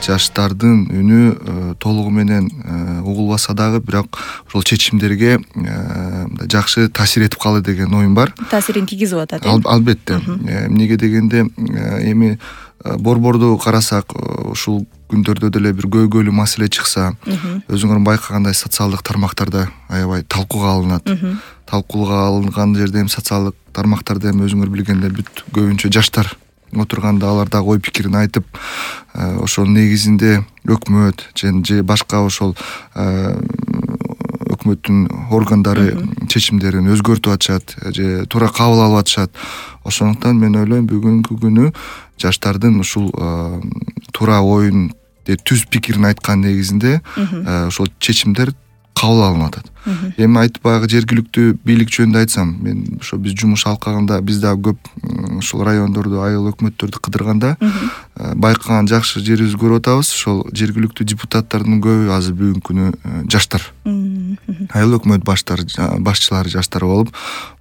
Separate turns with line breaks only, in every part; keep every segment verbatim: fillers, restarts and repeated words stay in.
жаштардын үнү толугу менен угулбаса дагы бирок ошол чечимдерге жакшы таасир этип калды деген оюм бар.
Таасирин тийгизип атат.
Албетте. Эмнеге дегенде эми борборду карасак ушул күндөрдө деле бир көйгөйлүү маселе чыкса, өзүңөр байкагандай социалдык тармактарда аябай талкууга алынат. Талкууга алынган жерде эми социалдык тармактарда эми өзүңөр билгендей бүт көбүнчө жаштар отурганда алар дагы ой пикирин айтып, ошол негизинде өкмөт же башка ошол өкмөттүн органдары чечимдерин өзгөртүп атышат же туура кабыл алып атышат. Ошондуктан мен ойлойм бүгүнкү күнү жаштардын ушул туура оюн, түз пикирин айткан негизинде ошол чечимдер кабыл алынып атат. Эми айтып баягы жергиликтүү бийлик жөнүндө айтсам, мен ошо биз жумуш алкагында биз дагы көп ушул райондорду, айыл өкмөттөрдү кыдырганда байкаган жакшы жерибизди көрүп атабыз. Ошол жергиликтүү депутаттардын көбү азыр бүгүнкү күнү жаштар. Айыл өкмөт баштары, башчылары жаштар болуп,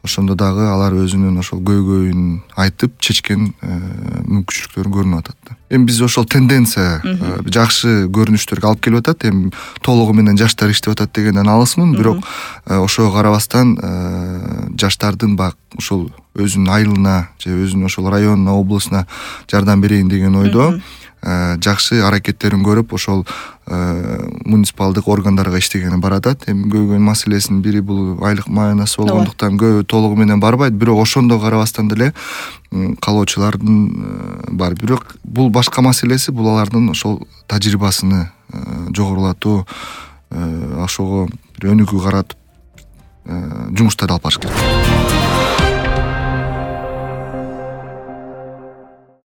ошондо дагы алар өзүнүн ошол көйгөйүн айтып чечкен мүмкүнчүлүктөрү көрүнүп атат. Эми биз ошол тенденция жакшы көрүнүштөргө алып келип атат. Эми толугу менен жаштар иштеп атат дегенден алысмын, бирок ошого карабастан жаштардын баягы ошол өзүнүн айылына же өзүнүн ошол районуна, облусуна жардам берейин деген ойдо жакшы аракеттерин көрүп, ошол муниципалдык органдарга иштегени баратат. Эми көйгөй маселесинин бири бул айлык маянасы болгондуктан көбү толугу менен барбайт, бирок ошондо карабастан деле калоочулардын бар. Бирок бул башка маселеси, бул алардын ошол тажрыйбасыны жогорулатуу, ошого өнүгүү каратып жумуштарды алып барыш керек.